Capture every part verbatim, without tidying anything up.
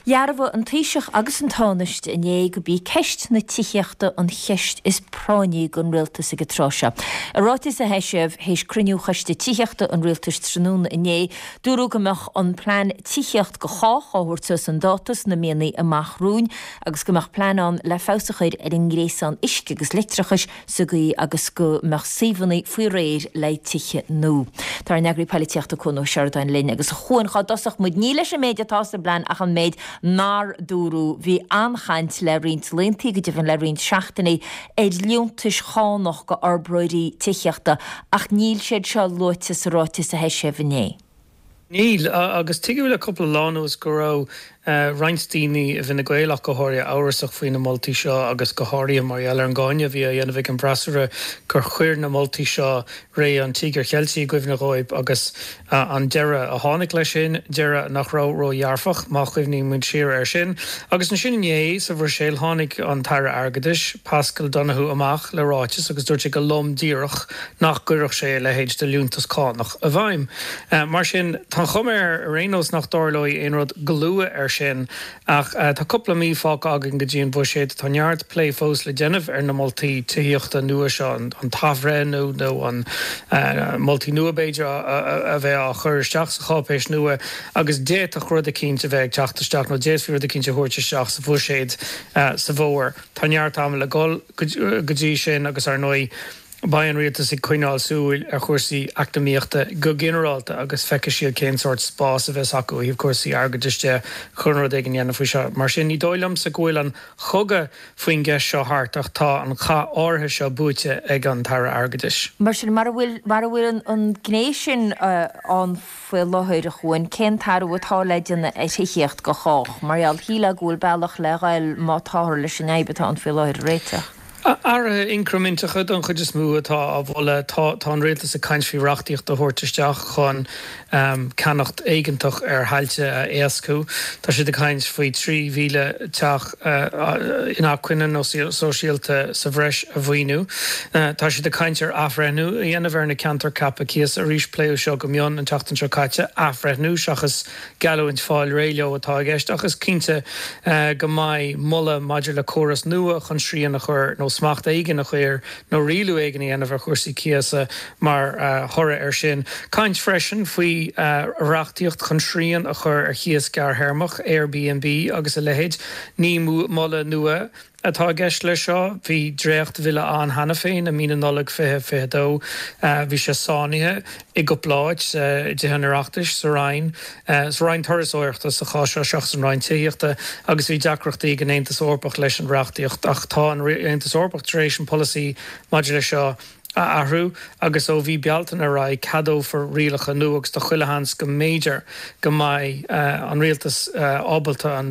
Dhearbhaigh an Taoiseach agus an Tánaiste inné gurb í ceist na tithíochta an cheist is práinní don rialtas ag an tráth seo. I ráiteas a heisíodh théis cruinniú choiste tithíochta an rialtais tráthnóna inné, dúradh go mbeadh an plean tithíocht do chách á thabhairt suas chun dáta sna míonna amach romhainn agus go mbeadh plean ann le feabhas a chur ar an ngréasán uisce agus leictreachais sa gcaoi agus go mbeadh suíomhanna faoi réir le tithe nua. Tá ár n-eagraí polaitíochta Cuan Ó Seireadáin linn agus a Chuain cá dtosódh muid ní leis an méid atá sa bplean ach an méid nár dúradh. Bhí an-chaint le roinnt laethanta, go deimhin le roinnt seachtainí, ar liúntais chánach do fhorbróirí tithíochta ach níl siad seo luaite sa ráiteas a heisíodh inné. Níl, agus tuigeadh le cúpla lá anuas go raibh roinnt daoine i bhFine Gael ach go háirithe amhrasach faoi na moltaí seo agus go háirithe mar gheall ar an gcáineadh a bhí á dhéanamh ag an bhfreasúra gur chuir na moltaí seo ré an Tíogair Cheiltigh i gcuimhne dhóibh agus an deireadh a tháinig leis sin, deireadh nach raibh ródhearfach má chuimhníonn muid siar air sin. Agus ansin inné sa Bhruiséil tháinig an tAire Airgeadais, Paschal Donohoe amach le ráiteas agus dúirt sé go lom díreach nach gcuirfeadh sé a leithéid de liúntas cánach i bhfeidhm. Mar sin, tá an chuma air ar aon nós nach dtarlóidh aon rud go luath air sin ach tá cúpla mí fágtha againn go dtí an bhuiséad. Tá neart plé fós le déanamh ar na moltaí tithíochta nua seo, an t-athbhreithniú nó an moltaí nua b'fhéidir a bheith á chur isteach sa cháipéis nua agus d'fhéadfadh rud eicínt a bheith ag teacht isteach nó d'fhéadfaí rud eicínt a thabhairt isteach sa bhuiséad sa bhfómhar. Tá neart ama le dhul go dtí sin agus ar ndóigh beidh an rialtas ag coinneáil súil ar chúrsaí eacnamaíochta go ginearálta agus feicfidh siad cén sórt spás a bheas acu ó thaobh cúrsaí airgeadais de chun rud éigin a dhéanamh faoi seo. Mar sin, ní dóigh liomsa go bhfuil an chogadh faoin gceist seo thart ach tá an cath áirithe seo buaite ag an tAire Airgeadais. Mar sin, mura bhfuil, mura bhfuil an ghné sin ann faoi láthair, a Chuain, cén t-athrú atá le déanamh ar thithíocht do chách? Mar gheall, shílfeá go bhfuil bealach le ghoil má táthar leis an fhadhb atá ann faoi láthair a réiteach. Athruithe incriminteacha don chuid is mó atá á mholadh. Tá tá an rialtas ag caint faoi reachtaíocht a thabhairt isteach chun ceannacht éigeantach ar thailte a éascú. Tá siad ag caint faoi trí mhíle teach inacmhainne nó sóisialta sa bhreis a mhaoiniú. Tá siad ag caint ar athbhreithniú a dhéanamh ar na ceantair ceaptha cíosa. Arís pléadh seo go mion an tseachtain seo caite. Athbhreithniú seachas geallúint fáil réidh leo atá i gceist ach is cinnte go mbeidh moladh maidir le córas nua chun srian a chur nó smacht éigin a chur nó rialú éigin a dhéanamh ar chúrsaí cíosa mar thoradh air sin. Caint freisin faoi reachtaíocht chun srian a chur ar chíos gearrthéarmach, Airbnb agus a leithéid. Ní moladh nua atá i gceist leis seo. Bhí dréachtbhille ann cheana féin i mí na Nollag fiche fiche dó. Bhí sé sáinnithe i gcúpla áit, i dTithe an Oireachtais, sa Roinn, sa Roinn Turasóireachta sa chás seo seachas an Roinn Tithíochta, agus bhí deacrachtaí ag an Aontas Eorpach leis an reachtaíocht. Ach tá an Aontas Eorpach tar éis an polasaí maidir leis seo a athrú agus ó mhí Bealtaine ar aghaidh ceadófar rialacha nua agus tá chuile sheans go mb'fhéidir go mbeidh an rialtas ábalta an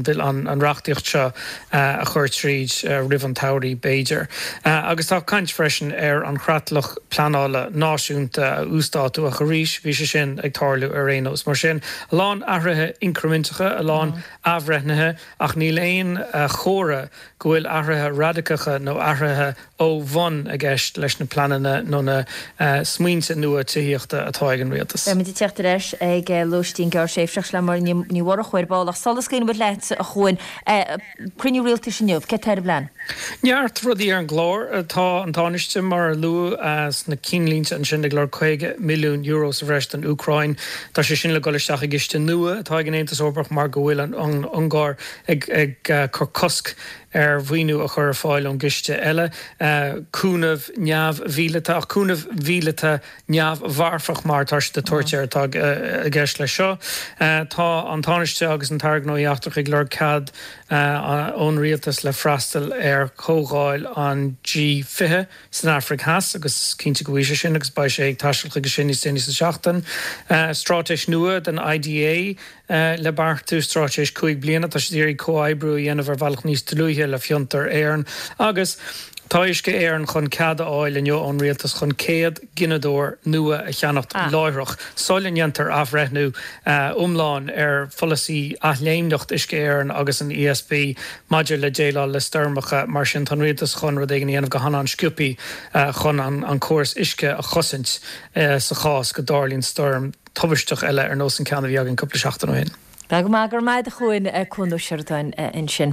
reachtaíocht seo a chur tríd roimh an tsamhraidh b'fhéidir. Agus tá caint freisin ar an chreatlach pleanála náisiúnta a uasdátú ach arís bhí sé sin ag tarlú ar aon nós. Mar sin, a lán athruithe incriminteacha, a lán athbhreithnithe ach níl aon chomhartha go bhfuil athruithe radacacha nó athruithe ó bhun i gceist leis na pleananna nó na smaointe nua tithíochta atá ag an rialtas. Beimid ag teacht ar ais ag lóistín gearrthréimhseach le Máire Ní Mhurchú ar ball ach sula scaoileann muid leat, a Chuain, cruinniú rialtais inniu, céard tá ar an bplean? Neart rudaí ar an gclár. Tá an Tánaiste, mar a luadh sna cinnlínte ansin, ag lorg caoga milliún euro sa bhreis don Úcráin. Tá sé sin le dul isteach i gciste nua atá ag an Aontas Eorpach mar go bhfuil an Ungáir ag cur cosc ar mhaoiniú a chur ar fáil ón gciste eile. Cúnamh neamh-mhíleata, ach cúnamh mhíleata neamh-mharfach mar atá siad ag tabhairt air, atá i gceist leis seo. Tá an Tánaiste agus an tAire Gnóthaí Eachtracha ag lorg cead ón rialtas le freastal ar chomhdháil an G fiche san Afraic Theas agus is cinnte go bhfaighidh sé sin agus beidh sé ag taisteal chuige sin níos déanaí sa tseachtain. Straitéis nua don I D A le beartú, straitéis cúig bliana. Tá siad ag iarraidh comhoibriú a dhéanamh ar bhealach níos dlúithe le Fiontar Éireann agus tá Uisce Éireann chun cead a fháil inniu ón rialtas chun céad gineadóir nua a cheannacht láithreach sula ndéantar athbhreithniú iomlán ar pholasaí athléimneacht Uisce Éireann agus an E S B maidir le déileáil le stoirmeacha. Mar sin, tá an rialtas chun rud éigin a dhéanamh go han-an-sciobtha chun an córas uisce a chosaint sa chás go dtarlaíonn stoirm tubaisteach eile ar nós an ceann a bhí againn cúpla seachtain ó shin. Tá go maith, go raibh maith agat a Chuain, Cuan Ó Seireadáin ansin.